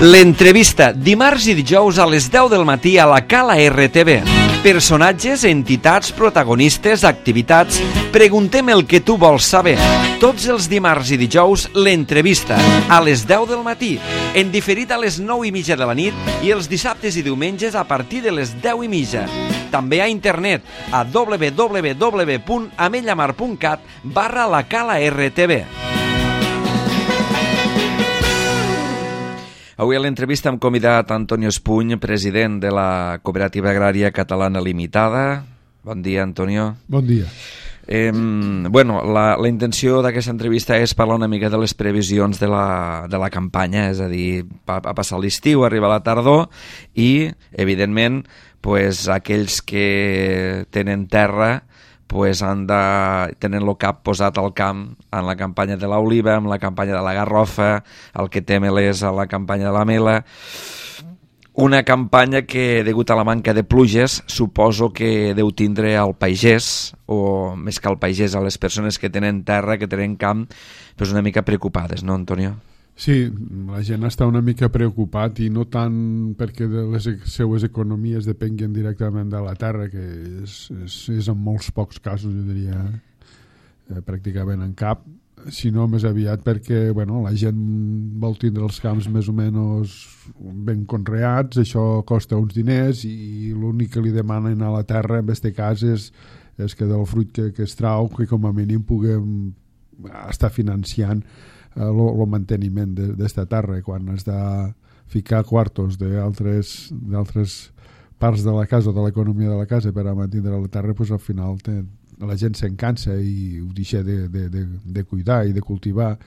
L'entrevista, dimarts i dijous a les 10 del matí a la Cala RTV. Personatges, entitats, protagonistes, activitats. Preguntem el que tu vols saber. Tots els dimarts i dijous, l'entrevista, a les 10 del matí. En diferit a les 9:30 de la nit i els dissabtes i diumenges a partir de les 10:30. També a internet a www.amellamar.cat/la Cala RTV. Avui a l'entrevista hem convidat Antonio Espuny, president de la Cooperativa Agrària Catalana Limitada. Bon dia, Antonio. Bon dia. La intenció d'aquesta entrevista és parlar una mica de les previsions de la campanya, és a dir, ha passat l'estiu, arriba la tardor i, evidentment, aquells que tenen terra tenen el cap posat al camp en la campanya de l'oliva, en la campanya de la garrofa, el que té melers a la campanya de la mela. Una campanya que, degut a la manca de pluges, suposo que deu tindre al pagès, o més que al pagès, a les persones que tenen terra, que tenen camp, una mica preocupades, no, Antonio? Sí, la gent està una mica preocupat i no tant perquè de les seues economies depenguen directament de la terra, que és en molts pocs casos, jo diria, pràcticament en cap, sinó més aviat perquè la gent vol tindre els camps més o menys ben conreats, això costa uns diners i l'únic que li demanen a la terra en aquest cas és que del fruit que es trau, que com a mínim puguem estar financiant el manteniment d'esta terra. Quan has de ficar quartos d'altres parts de la casa o de l'economia de la casa per a mantenir la terra, al final la gent se'n cansa i ho deixa de cuidar i de cultivar,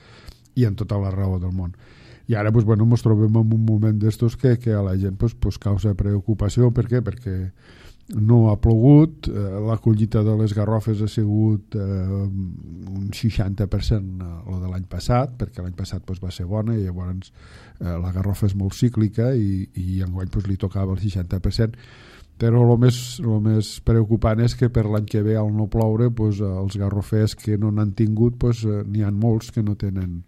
i en tota la raó del món. I ara ens trobem en un moment d'estos que a la gent causa preocupació. Per què? Perquè no ha plogut, la collita de les garrofes ha sigut un 60% el de l'any passat, perquè l'any passat va ser bona i llavors la garrofa és molt cíclica i enguany li tocava el 60%, però el més preocupant és que per l'any que ve, al no ploure, els garrofers que no n'han tingut, n'hi ha molts que no tenen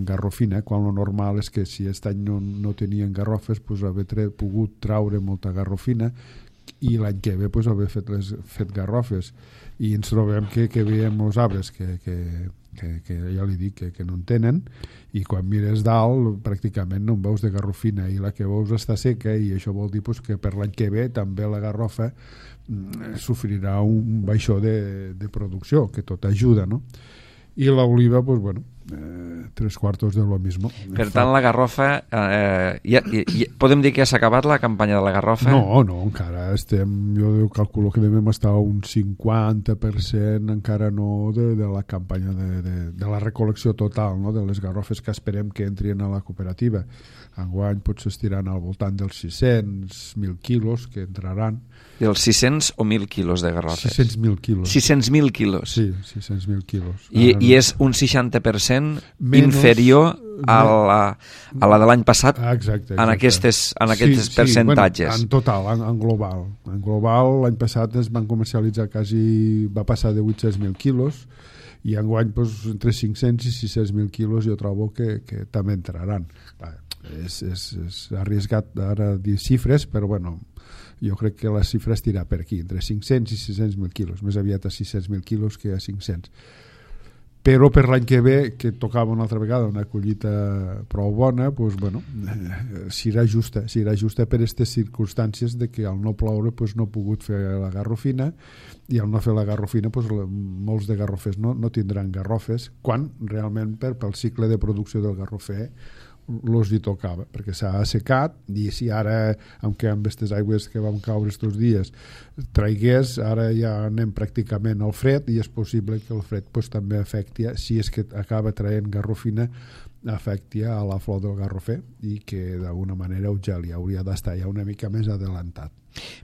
garrofina, quan el normal és que si aquest any no tenien garrofes haver pogut traure molta garrofina i l'any que ve haver fet garrofes, i ens trobem que veiem els arbres que ja li dic que no en tenen, i quan mires dalt pràcticament no en veus de garrofina i la que veus està seca, i això vol dir que per l'any que ve també la garrofa sofrirà un baixó de producció, que tot ajuda, no? I l'oliva, tres quartos de lo mismo. Per tant, la garrofa, podem dir que s'ha acabat la campanya de la garrofa? No, encara estem, jo calculo que devem estar un 50% encara no de la campanya de la recol·lecció total, no? De les garrofes que esperem que entrin a la cooperativa. Enguany potser estiran al voltant dels 600.000 quilos que entraran. Dels 600 o 1.000 quilos de garrofes? 600.000 quilos. 600.000 quilos? Sí, 600.000 quilos. I és un 60% inferior a la de l'any passat. Exacte. En aquests percentatges. En total, en global. En global, l'any passat es van comercialitzar va passar de 800.000 quilos, i enguany entre 500 i 600.000 quilos jo trobo que també entraran. És arriesgat ara dir xifres, però jo crec que la xifra estirà per aquí, entre 500 i 600.000 quilos, més aviat a 600.000 quilos que a 500. Però per l'any que ve, que tocava una altra vegada una collita prou bona, serà justa per aquestes circumstàncies de que al no ploure no ha pogut fer la garrofina, i al no fer la garrofina molts de garrofers no tindran garrofes, quan realment pel cicle de producció del garrofer els hi tocava, perquè s'ha assecat, i si ara, amb aquestes aigües que vam caure estos dies traigués, ara ja anem pràcticament al fred, i és possible que el fred també afecti, si és que acaba traient garrofina, afecti a la flor del garrofer, i que d'alguna manera ja li hauria d'estar ja una mica més adelantat.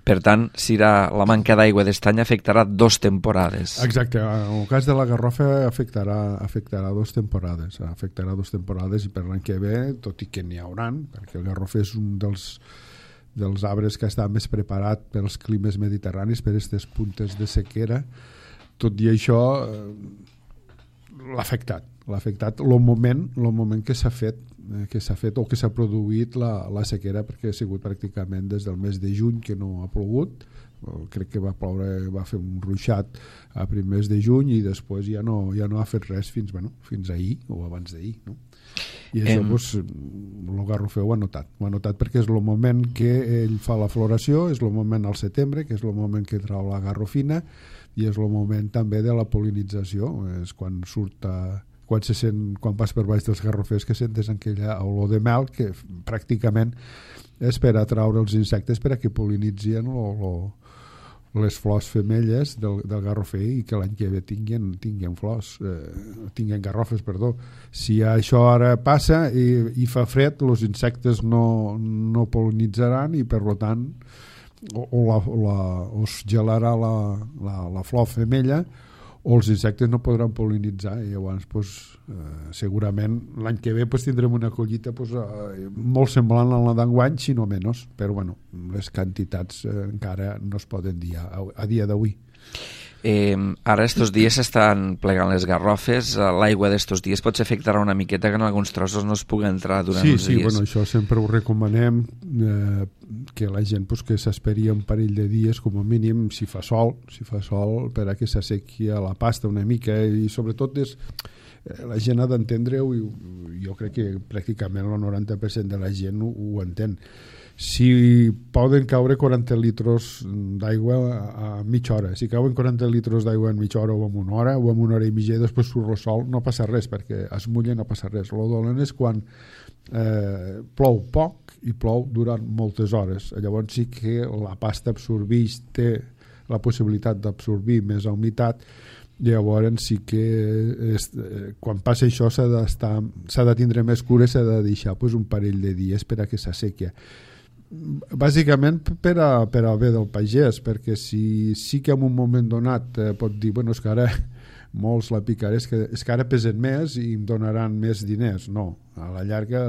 Per tant, la manca d'aigua d'estany afectarà 2 temporades. Exacte, en el cas de la garrofa afectarà 2 temporades. Afectarà 2 temporades, i per l'any que ve, tot i que n'hi hauran, perquè el garrofer és un dels arbres que està més preparat pels climes mediterranis, per aquestes puntes de sequera, tot i això l'ha afectat el moment que s'ha fet que s'ha fet o que s'ha produït la sequera, perquè ha sigut pràcticament des del mes de juny que no ha plogut. Crec que va ploure, va fer un ruixat a primers de juny i després ja no ha fet res fins ahir o abans d'ahir, no? I això el garrofer ho ha notat perquè és el moment que ell fa la floració, és el moment al setembre, que és el moment que trau la garrofina, i és el moment també de la pol·linització, és quan vas per baix dels garrofers que sentes aquella olor de mel que pràcticament és per atraure els insectes per a que pol·linitzien les flors femelles del garrofer i que l'any que ve tinguin flors, tinguin garrofes, perdó. Si això ara passa i fa fred, els insectes no pol·linitzaran i per tant o es gelarà la flor femella o els insectes no podran pol·linitzar i llavors segurament l'any que ve tindrem una collita molt semblant a la d'enguany, si no menys, però les quantitats encara no es poden dir a dia d'avui. Ara estos dies s'estan plegant les garrofes, l'aigua d'estos dies potser afectarà una miqueta que en alguns trossos no es pugui entrar durant uns dies. Sí, això sempre ho recomanem, que la gent que s'esperi un parell de dies com a mínim, si fa sol per a que s'assequi la pasta una mica, i sobretot la gent ha d'entendre-ho, i jo crec que pràcticament el 90% de la gent ho entén. Si poden caure 40 litres d'aigua a mitja hora, si cauen 40 litres d'aigua en mitja hora o en una hora i mitja, després surt el sol, no passa res, perquè es mulla, no passa res. El dolent és quan plou poc i plou durant moltes hores. Llavors sí que la pasta absorbeix, té la possibilitat d'absorbir més humitat, llavors sí que quan passa això s'ha de tindre més cura, s'ha de deixar un parell de dies per a que s'assequi, bàsicament per a bé del pagès, perquè sí que en un moment donat pot dir, és que ara molts la picaré, és que ara pesen més i em donaran més diners. No, a la llarga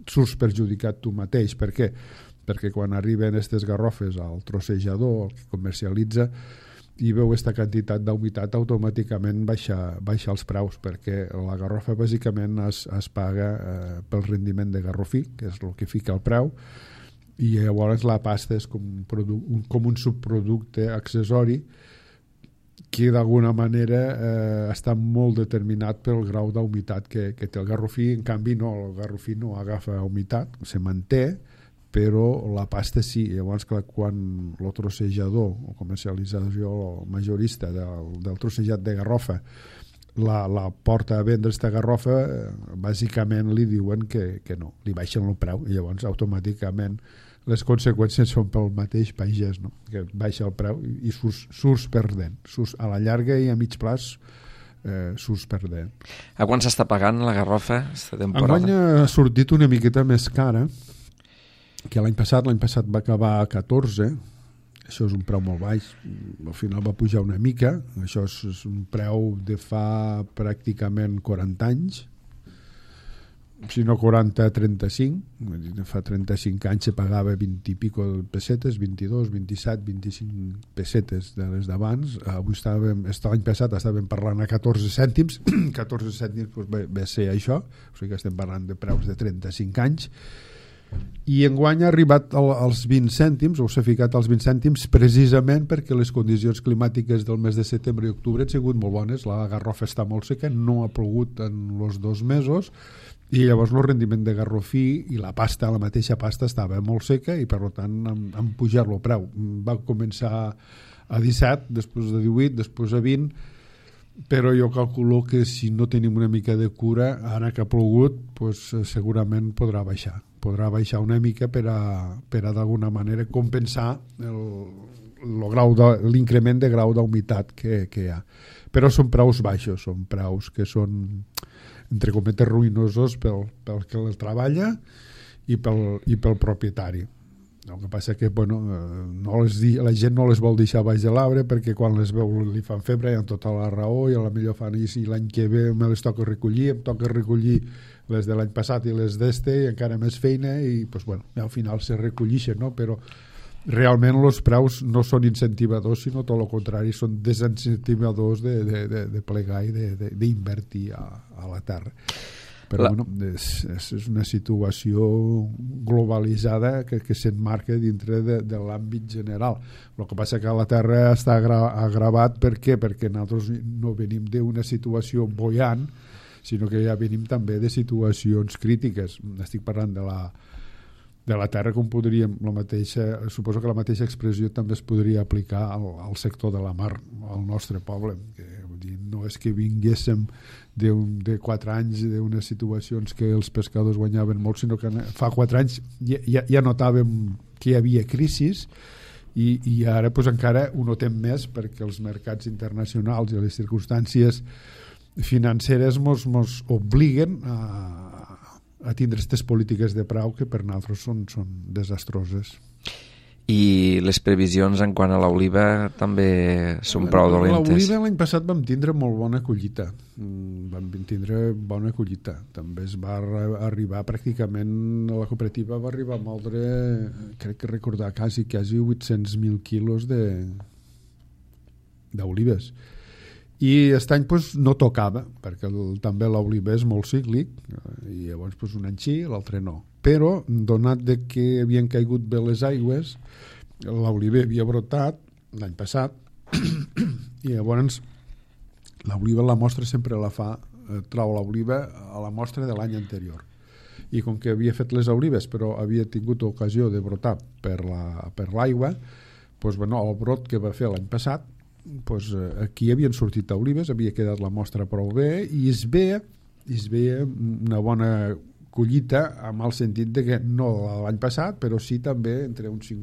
surts perjudicat tu mateix. Per què? Perquè quan arriben aquestes garrofes al trossejador, el que comercialitza, i veu aquesta quantitat d'humitat, automàticament baixa els preus, perquè la garrofa bàsicament es paga pel rendiment de garrofí, que és el que fica el preu, i llavors la pasta és com un subproducte accessori que d'alguna manera està molt determinat pel grau d'humitat que té el garrofí. En canvi el garrofí no agafa humitat, se manté, però la pasta sí. Llavors, clar, quan el trossejador o comercialització majorista del trossejat de garrofa la porta a vendre aquesta garrofa, bàsicament li diuen que no, li baixen el preu, i llavors automàticament les conseqüències són pel mateix pagès, no? Que baixa el preu i surts perdent, a la llarga i a mig plaç surts perdent. A quan s'està pagant la garrofa aquesta temporada? Enguany ha sortit una miqueta més cara que l'any passat va acabar a 14, això és un preu molt baix, al final va pujar una mica, això és un preu de fa pràcticament 40 anys, si no 40-35, fa 35 anys se pagava 20 i pico pessetes, 22, 27, 25 pessetes de les d'abans. Avui l'any passat estàvem parlant a 14 cèntims, 14 cèntims va ser això, o sigui que estem parlant de preus de 35 anys, i enguany ha arribat als 20 cèntims, o s'ha ficat als 20 cèntims precisament perquè les condicions climàtiques del mes de setembre i octubre han sigut molt bones. La garrofa està molt seca, no ha plogut en els 2 mesos, i llavors el rendiment de garrofí i la mateixa pasta estava molt seca, i per tant han pujat el preu. Va començar a 17, després a 18, després a 20, però jo calculo que si no tenim una mica de cura, ara que ha plogut, segurament podrà baixar una mica per a d'alguna manera compensar l'increment de grau d'humitat que hi ha. Però són preus baixos, són preus que són, entre cometes, ruïnosos pel que el treballa i pel propietari. El que passa que la gent no les vol deixar baix de l'arbre, perquè quan les veu li fan febre, i amb tota la raó, i a la millor fan, i si l'any que ve me les toca recollir, em toca recollir les de l'any passat i les d'este, i encara més feina, i al final se recollixen, no? Però realment els preus no són incentivadors, sinó tot el contrari, són desincentivadors de plegar i d'invertir a la terra. Però bueno, és una situació globalitzada que s'emmarca dintre de l'àmbit general. El que passa que a la Terra està agravat. Per què? Perquè nosaltres no venim d'una situació boiant, sinó que ja venim també de situacions crítiques. Estic parlant de la Terra, com podríem, suposo que la mateixa expressió també es podria aplicar al sector de la mar, al nostre poble, que vull dir, no és que vinguéssim de 4 anys d'unes situacions que els pescadors guanyaven molt, sinó que fa 4 anys ja notàvem que hi havia crisis i ara pues, encara ho notem més perquè els mercats internacionals i les circumstàncies financeres mos obliguen a tindre aquestes polítiques de preu que per nosaltres són desastroses. I les previsions en quant a l'oliva també són prou dolentes. L'oliva l'any passat vam tindre molt bona collita. També es va arribar pràcticament, la cooperativa va arribar a moldre, crec que recordar, quasi 800.000 quilos d'olives. I aquest any pues, no tocava, perquè també l'oliva és molt cíclic, i llavors pues, un any sí, l'altre no. Però, donat de que havien caigut bé les aigües, l'oliva havia brotat l'any passat, i llavors l'oliva, la mostra sempre la fa, trau l'oliva a la mostra de l'any anterior. I com que havia fet les olives, però havia tingut ocasió de brotar per l'aigua, pues, bueno, el brot que va fer l'any passat, pues, aquí havien sortit olives, havia quedat la mostra prou bé i es veia una bona collita amb el sentit de que no l'any passat, però sí també entre un 50%,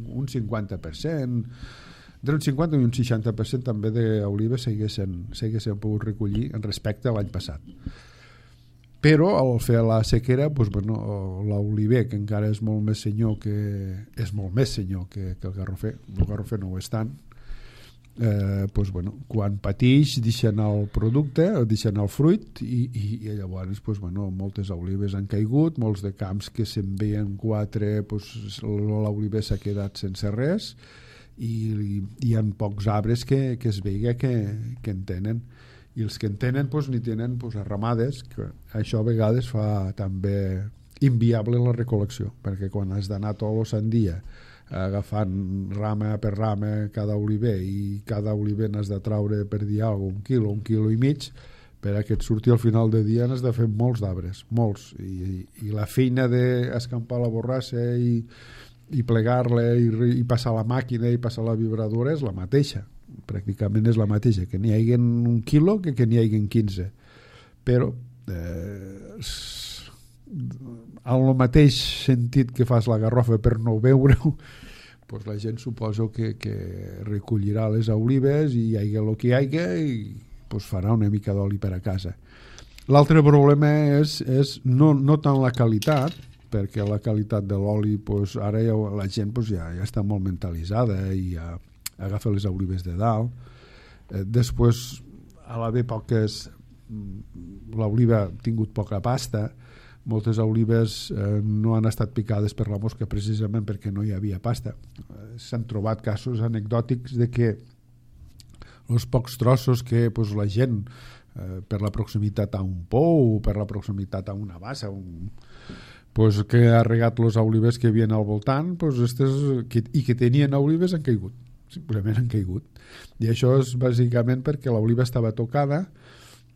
entre un 50 i un 60% també d'olives s'haguessin pogut recollir en respecte a l'any passat. Però al fer la sequera, pues, bueno, l'oliver, que encara és molt més senyor que el garrofer, el garrofer no ho és tant, pues, bueno, quan patix deixen el producte, deixen el fruit i llavors pues, bueno, moltes olives han caigut, molts de camps que se'n veien 4, pues, l'oliver s'ha quedat sense res i hi ha pocs arbres que es veiga que en tenen, i els que en tenen pues, n'hi tenen pues, arramades, que això a vegades fa també inviable la recol·lecció, perquè quan has d'anar tot el sant dia agafant rama per rama cada oliver i cada oliver n'has de traure per dir alguna cosa, un quilo i mig, per a que et surti al final de dia n'has de fer molts d'arbres, molts, i la feina d'escampar la borrassa i plegar-la i passar la màquina i passar la vibradora és la mateixa, pràcticament és la mateixa, que n'hi hagi un quilo que n'hi hagi 15, però en el mateix sentit que fas la garrofa per no veure-ho, pues la gent suposo que recollirà les olives i hi hagi el que hi hagi i pues farà una mica d'oli per a casa. L'altre problema és no tant la qualitat, perquè la qualitat de l'oli pues, ara la gent pues, ja està molt mentalitzada i ja agafa les olives de dalt. Després, a l'haver poques, l'oliva ha tingut poca pasta, moltes olives no han estat picades per la mosca precisament perquè no hi havia pasta. S'han trobat casos anecdòtics de que els pocs trossos que pues, la gent per la proximitat a un pou o per la proximitat a una bassa pues, que ha regat les olives que hi havia al voltant pues, i que tenien olives han caigut, simplement han caigut, i això és bàsicament perquè l'oliva estava tocada.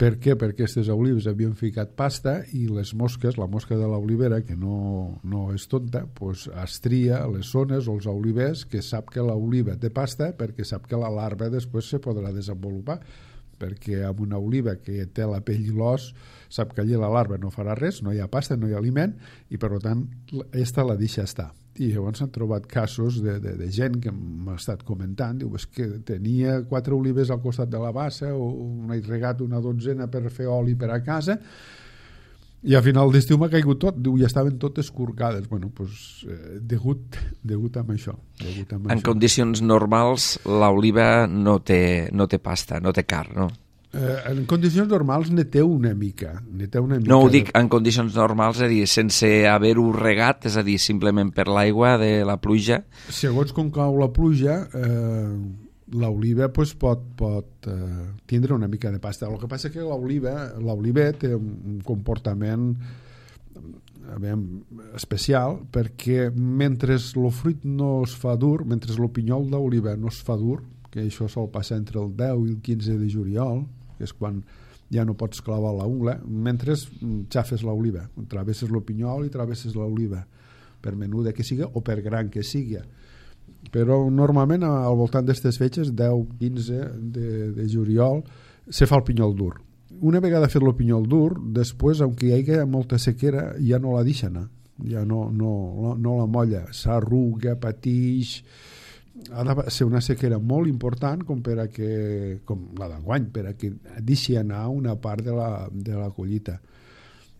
Per què? Perquè aquestes olives havien ficat pasta i les mosques, la mosca de l'olivera, que no és tonta, pues es tria les zones o els olivers que sap que l'oliva té pasta perquè sap que la larva després se podrà desenvolupar, perquè amb una oliva que té la pell i l'os sap que allí la larva no farà res, no hi ha pasta, no hi ha aliment i per tant aquesta la deixa estar. I llavors s'han trobat casos de gent que m'ha estat comentant, diu, és que tenia 4 olives al costat de la bassa o n'he regat una 12 per fer oli per a casa i a final d'estiu m'ha caigut tot, diu, ja estaven totes escorcades. Bueno, doncs degut amb això. En condicions normals l'oliva no té pasta, no té carn, no? En condicions normals ne té una mica. No ho dic en condicions normals, és a dir, sense haver-ho regat, és a dir, simplement per l'aigua de la pluja. Segons com cau la pluja, l'oliva pues, pot tindre una mica de pasta. El que passa és que l'oliva té un comportament especial, perquè mentre el fruit no es fa dur, mentre el pinyol d'oliva no es fa dur, que això sol passar entre el 10 i el 15 de juliol, que és quan ja no pots clavar la ungla, mentre xafes l'oliva, travesses el pinyol i travesses l'oliva, per menuda que siga o per gran que sigui. Però normalment al voltant d'aquestes fetges, 10-15 de juliol, se fa el pinyol dur. Una vegada fet el pinyol dur, després, aunque hi hagi molta sequera, ja no la deixa anar, ja no la molla, s'arruga, patix. Ha de ser una sequera molt important com la d'enguany, per a que deixi anar una part de la collita.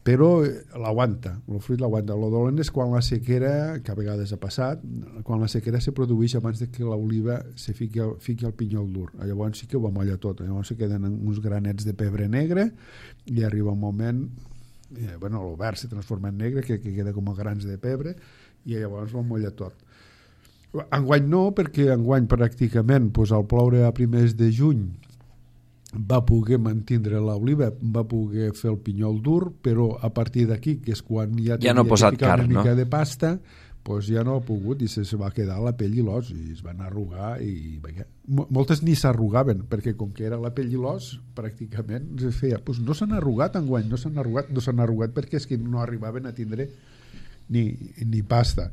Però l'aguanta, el fruit l'aguanta. El dolent és quan la sequera, que a vegades ha passat, quan la sequera se produeix abans de que l'oliva se fiqui al pinyol dur. Llavors sí que ho amolla tot, llavors se queden uns granets de pebre negre i arriba un moment, el verd se transforma en negre, que queda com a grans de pebre, i llavors ho amolla tot. Enguany no, perquè enguany pràcticament al ploure a primers de juny va poder mantindre l'oliva, va poder fer el pinyol dur, però a partir d'aquí, que és quan ja no posat una carn, mica de pasta, ja no ha pogut i se va quedar la pell i l'os i es van arrugar i moltes ni s'arrugaven, perquè com que era la pell i l'os pràcticament es feia, no s'han arrugat enguany, no s'han arrugat perquè és que no arribaven a tindre ni pasta.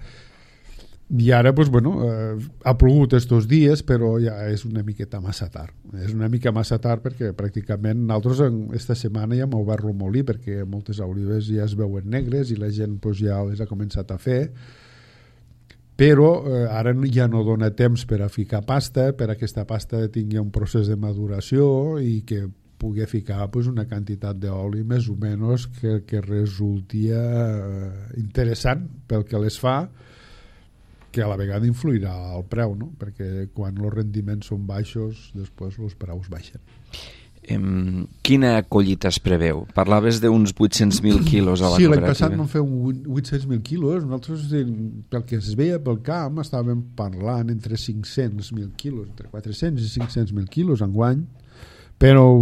I ara ha plogut estos dies, però ja és una miqueta massa tard. És una mica massa tard perquè pràcticament nosaltres esta setmana ja m'ho va remolí, perquè moltes olives ja es veuen negres i la gent ja les ha començat a fer, però ara ja no dona temps per a ficar pasta, per a aquesta pasta tingui un procés de maduració i que pugui ficar una quantitat d'oli més o menys que resulti interessant pel que les fa, que a la vegada influirà al preu, no? Perquè quan els rendiments són baixos, després els preus baixen. Quina collita es preveu? Parlaves d'uns 800.000 quilos a la cooperativa. Sí, l'any passat vam fer 800.000 quilos. Nosaltres, pel que es veia pel camp, estàvem parlant entre 500.000 quilos, entre 400 i 500.000 quilos enguany, però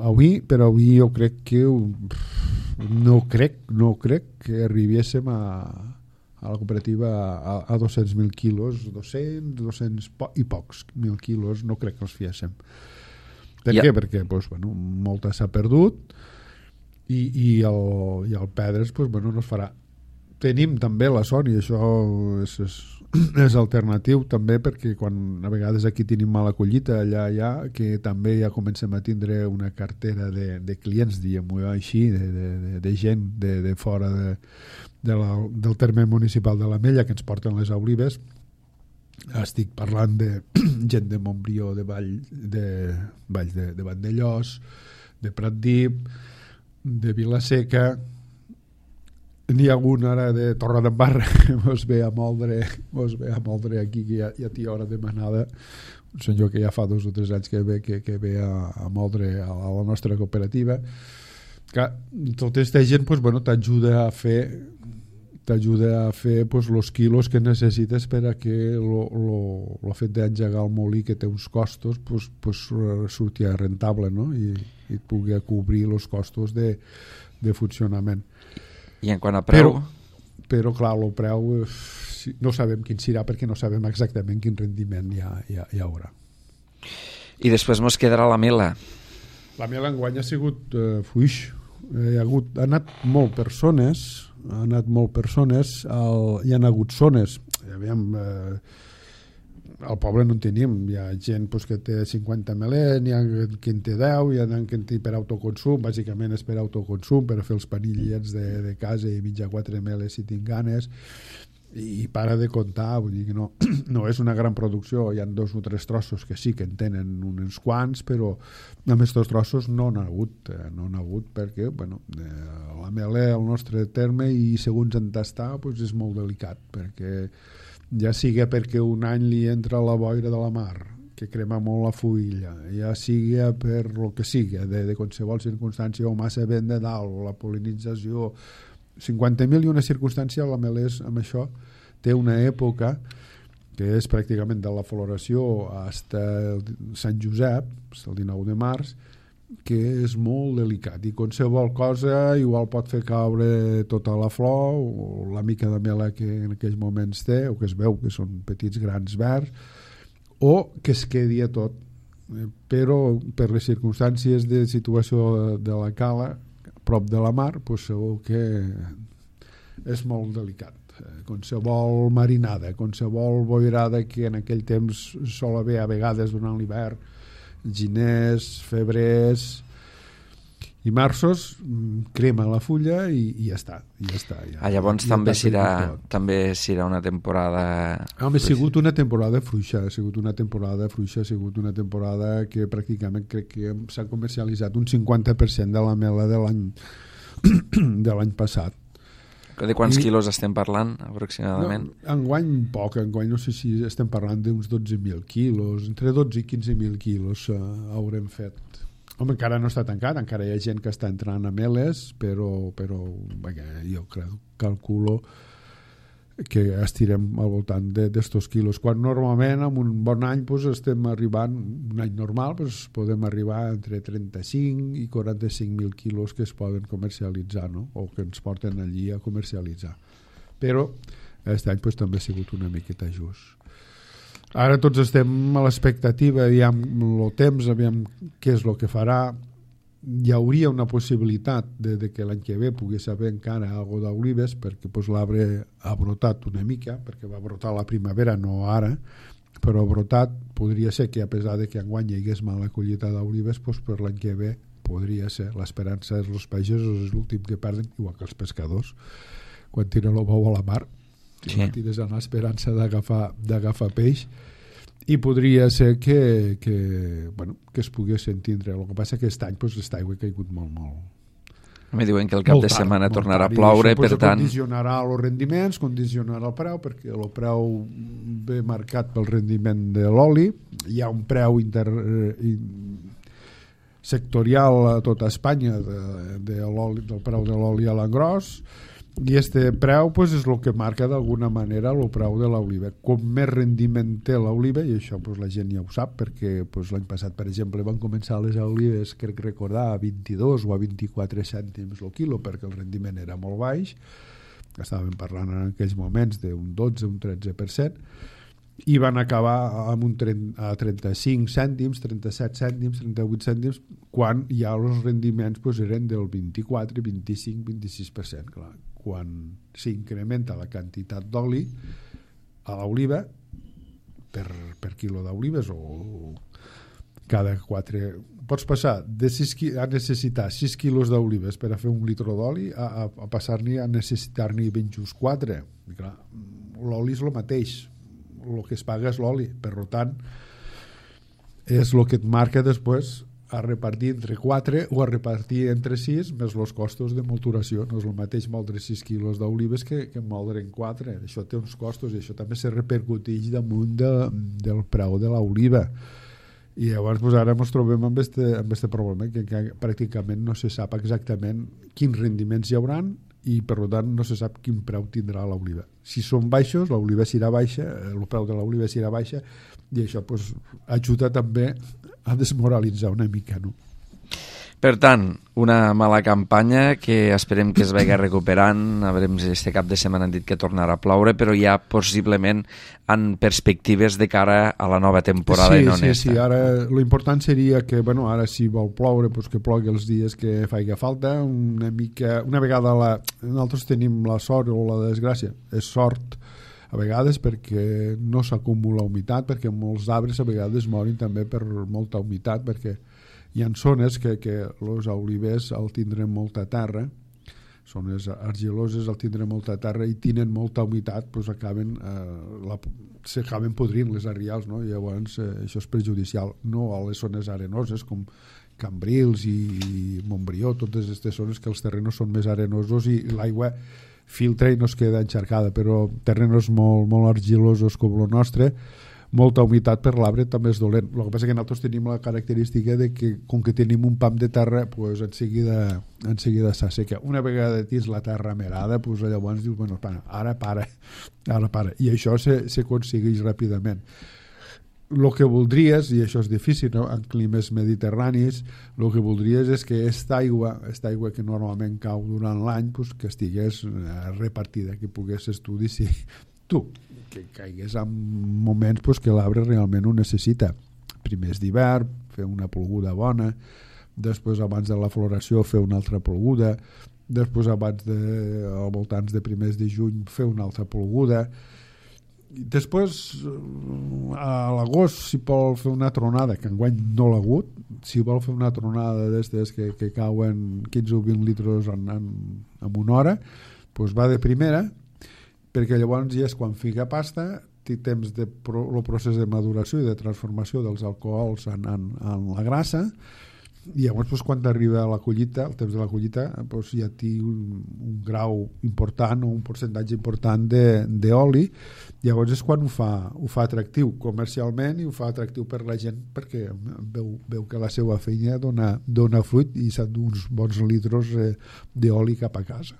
avui jo crec que no crec que arribéssim a la cooperativa a 200.000 quilos, 200 i pocs mil quilos, no crec que els fiéssim. Per què? Perquè molta s'ha perdut i el perdre's no es farà. Tenim també la sort, i això és alternatiu també, perquè quan a vegades aquí tenim mala collita, allà que també ja comencem a tindre una cartera de clients, diguem-ho així, de gent de fora del terme municipal de l'Ametlla que ens porten les olives. Estic parlant de gent de Montbrió, de Valls de Vandellós, de Pratdip, de Vilaseca. N'hi ha algun ara de Torredembarra que mos ve a moldre aquí, que ja té hora demanada, un senyor que ja fa 2 o 3 anys que ve a moldre a la nostra cooperativa. Que tota aquesta gent t'ajuda a fer los quilos que necessites per a que el fet d'engegar el molí, que té uns costos, surti rentable, no? I pugui cobrir els costos de funcionament. I en quant a preu? Però clar, el preu no sabem quin serà, perquè no sabem exactament quin rendiment hi haurà. I després mos quedarà la mela. La mela enguany ha sigut fluix. Ha anat molt persones, hi ha hagut zones, al poble no en tenim, hi ha gent que té 50 melers, n'hi ha qui en té 10, hi ha qui en té per autoconsum, bàsicament és per autoconsum, per fer els panillets de casa i menjar 4 meles si tinc ganes, i para de comptar, vull dir que no és una gran producció. Hi ha 2 o 3 trossos que sí que en tenen uns quants, però amb aquests trossos no n'ha hagut perquè la mela al nostre terme, i segons en tastar és molt delicat, perquè ja sigui perquè un any li entra la boira de la mar, que crema molt la fulla, ja sigui per el que sigui, de qualsevol circumstància, o massa vent de dalt, o la pol·linització, 50.000 i una circumstància. La melés amb això té una època que és pràcticament de la floració fins Sant Josep, el 19 de març, que és molt delicat i qualsevol cosa igual pot fer caure tota la flor o la mica de mela que en aquells moments té o que es veu que són petits grans verds o que es quedi a tot, però per les circumstàncies de situació de la cala prop de la mar, doncs segur que és molt delicat. Qualsevol marinada, qualsevol boirada que en aquell temps sol haver a vegades durant l'hivern, giners, febrers i marços, crema la fulla i ja està. Llavors també serà una temporada... Home, ha sigut una temporada fluixa, ha sigut una temporada que pràcticament crec que s'ha comercialitzat un 50% de la mela de l'any passat. De quants quilos estem parlant, aproximadament? No, enguany poc, enguany no sé si estem parlant d'uns 12.000 quilos, entre 12 i 15.000 quilos haurem fet. Home, encara no està tancat, encara hi ha gent que està entrant a meles, però jo calculo que estirem al voltant d'estos quilos, quan normalment en un bon any doncs, estem arribant, un any normal doncs, podem arribar entre 35 i 45.000 quilos que es poden comercialitzar, no? O que ens porten allí a comercialitzar, però aquest any doncs, també ha sigut una miqueta just. Ara tots estem a l'expectativa, aviam el temps, aviam què és el que farà. Hi hauria una possibilitat de que l'any que ve pogués haver encara algo d'olives perquè pues, l'arbre ha brotat una mica, perquè va brotar la primavera, no ara, però ha brotat. Podria ser que a pesar de que enguany hi hagués mala collita d'olives, pues, per l'any que ve podria ser. L'esperança és els pagesos, és l'últim que perden, igual que els pescadors quan tiren el bou a la mar, sí. Tires amb l'esperança d'agafar peix, i podria ser que es pogués entendre. El que passa que aquest any aquesta aigua ha caigut molt. Me diuen que el cap de setmana tornarà a ploure, per tant... Condicionarà els rendiments, condicionarà el preu, perquè el preu ve marcat pel rendiment de l'oli. Hi ha un preu sectorial a tota Espanya del preu de l'oli a l'engròs, i este preu pues, és el que marca d'alguna manera el preu de l'oliva. Com més rendiment té l'oliva, i això pues, la gent ja ho sap, perquè pues, l'any passat, per exemple, van començar les olives, crec recordar, a 22 o a 24 cèntims el quilo, perquè el rendiment era molt baix. Estàvem parlant en aquells moments d'un 12, un 13%, i van acabar amb a 35 cèntims, 37 cèntims, 38 cèntims, quan ja els rendiments pues, eren del 24, 25, 26%. Clar, quan s'incrementa la quantitat d'oli a l'oliva per quilo d'olives o cada 4... Pots passar a necessitar 6 quilos d'olives per a fer un litre d'oli a passar-n'hi a necessitar-n'hi ben just 4. I clar, l'oli és el mateix, el que es paga és l'oli, per tant és el que et marca després a repartir entre 4 o a repartir entre 6 més els costos de molturació. No és el mateix moldre 6 quilos d'olives que moldre en 4. Això té uns costos i això també se repercuteix damunt del preu de l'oliva. I llavors pues, ara ens trobem amb este problema que pràcticament no se sap exactament quins rendiments hi hauran i per tant no se sap quin preu tindrà l'oliva. Si són baixos, l'oliva serà baixa, el preu de l'oliva serà baixa, i això pues, ajuda també a desmoralitzar una mica, no? Per tant, una mala campanya que esperem que es vagi recuperant. A veure, este cap de setmana han dit que tornarà a ploure, però ja possiblement en perspectives de cara a la nova temporada i no honesta. Sí, ara l'important seria que, bueno, ara si vol ploure, pues que plogui els dies que faci falta, una vegada nosaltres tenim la sort o la desgràcia, és sort a vegades perquè no s'acumula humitat, perquè molts arbres a vegades morin també per molta humitat, perquè hi ha zones que els olivers al tindre molta terra, zones argiloses al tindre molta terra i tenen molta humitat, doncs s'acaben podrint les arrials, no? I llavors això és perjudicial, no a les zones arenoses com Cambrils i Montbrió, totes aquestes zones que els terrenos són més arenosos i l'aigua filtra i no es queda encharcada, però terrenos molt, molt argilosos com el nostre, molta humitat per l'arbre també és dolent. El que passa és que nosaltres tenim la característica de que com que tenim un pam de terra pues en seguida s'asseca. Una vegada tens la terra merada pues llavors dius, bueno, ara para i això s'aconsegueix ràpidament. el que voldries, i això és difícil, no? En climes mediterranis, el que voldries és que aquesta aigua que normalment cau durant l'any, pues, que estigués repartida, que poguessis tu decidir tu, que caigués en moments pues, que l'arbre realment ho necessita. Primers d'hivern, fer una ploguda bona, després abans de la floració fer una altra ploguda, després al voltants de primers de juny fer una altra ploguda, després a l'agost si vol fer una tronada, que enguany no l'ha hagut, si vol fer una tronada d'estes que cauen 15 o 20 litres en una hora, doncs va de primera, perquè llavors ja és quan fica pasta, té temps el procés de maduració i de transformació dels alcohols en la grassa, i llavors doncs, quan arriba a la collita, el temps de la collita, doncs, ja té un grau important o un percentatge important d'oli. Llavors és quan ho fa atractiu comercialment i ho fa atractiu per la gent, perquè veu que la seva feina dona fruit i s'han d'uns bons litros d'oli cap a casa.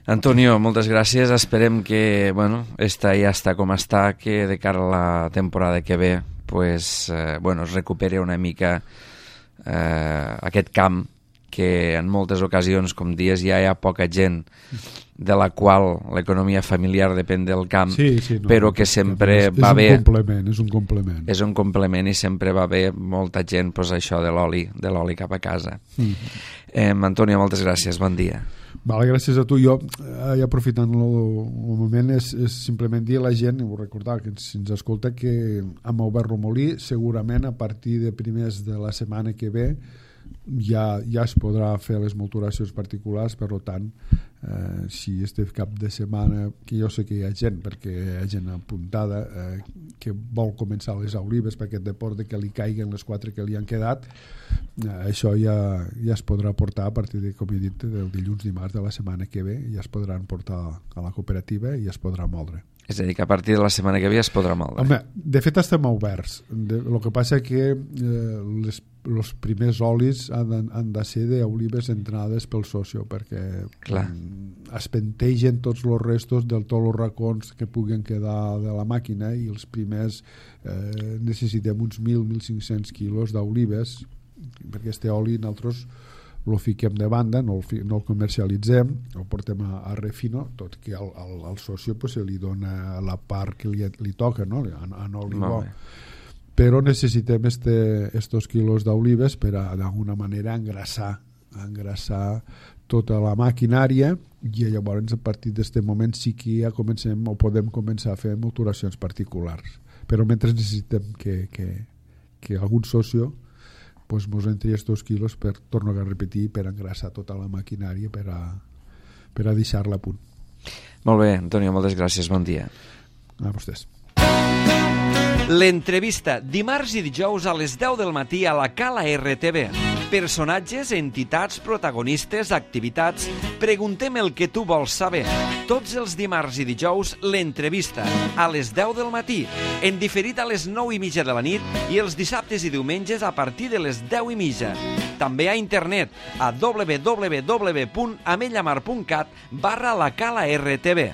Antonio, moltes gràcies. Esperem que esta ja està com està, que de cara a la temporada que ve pues, es recuperi una mica aquest camp que en moltes ocasions, com dies, ja hi ha poca gent de la qual l'economia familiar depèn del camp, però que sempre va bé. És un complement. És un complement i sempre va bé molta gent, pues, això de l'oli cap a casa. Antonio, moltes gràcies, bon dia. Vale, gràcies a tu. Jo, aprofitant el moment, és simplement dir a la gent, i vull recordar que si ens escolta, que amb Obert Romolí segurament a partir de primers de la setmana que ve ja es podrà fer les molturacions particulars. Per tant, si este cap de setmana, que jo sé que hi ha gent, perquè hi ha gent apuntada que vol començar les olives per aquest deport de que li caiguen les 4 que li han quedat, això ja es podrà portar a partir de, com he dit, del dilluns dimarts de la setmana que ve, ja es podran portar a la cooperativa i es podrà moldre. És a dir, que a partir de la setmana que ve es podrà moldre. Home, de fet estem oberts. El que passa que els primers olis han de ser d'olives entrades pel socio, perquè es pentegen tots els restos de tots els racons que puguen quedar de la màquina, i els primers necessitem uns 1.000-1.500 quilos d'olives, perquè este oli nosaltres el fiquem de banda, no el comercialitzem, el portem a refino, tot que al socio pues, se li dona la part que li toca, no? En oli bo. Però necessitem estos quilos d'olives per d'alguna manera engrassar tota la maquinària, i llavors a partir d'aquest moment sí que ja comencem o podem començar a fer molturacions particulars. Però mentre necessitem que algun socio pues mos entri estos quilos per, torno a repetir, per engrassar tota la maquinària per a deixar-la a punt. Molt bé, Antonio, moltes gràcies, bon dia. A vostès. L'entrevista, dimarts i dijous a les 10 del matí a la Cala RTV. Personatges, entitats, protagonistes, activitats. Preguntem el que tu vols saber. Tots els dimarts i dijous, l'entrevista, a les 10 del matí, en diferit a les 9:30 de la nit, i els dissabtes i diumenges a partir de les 10:30. També a internet a www.amellamar.cat/la Cala RTV.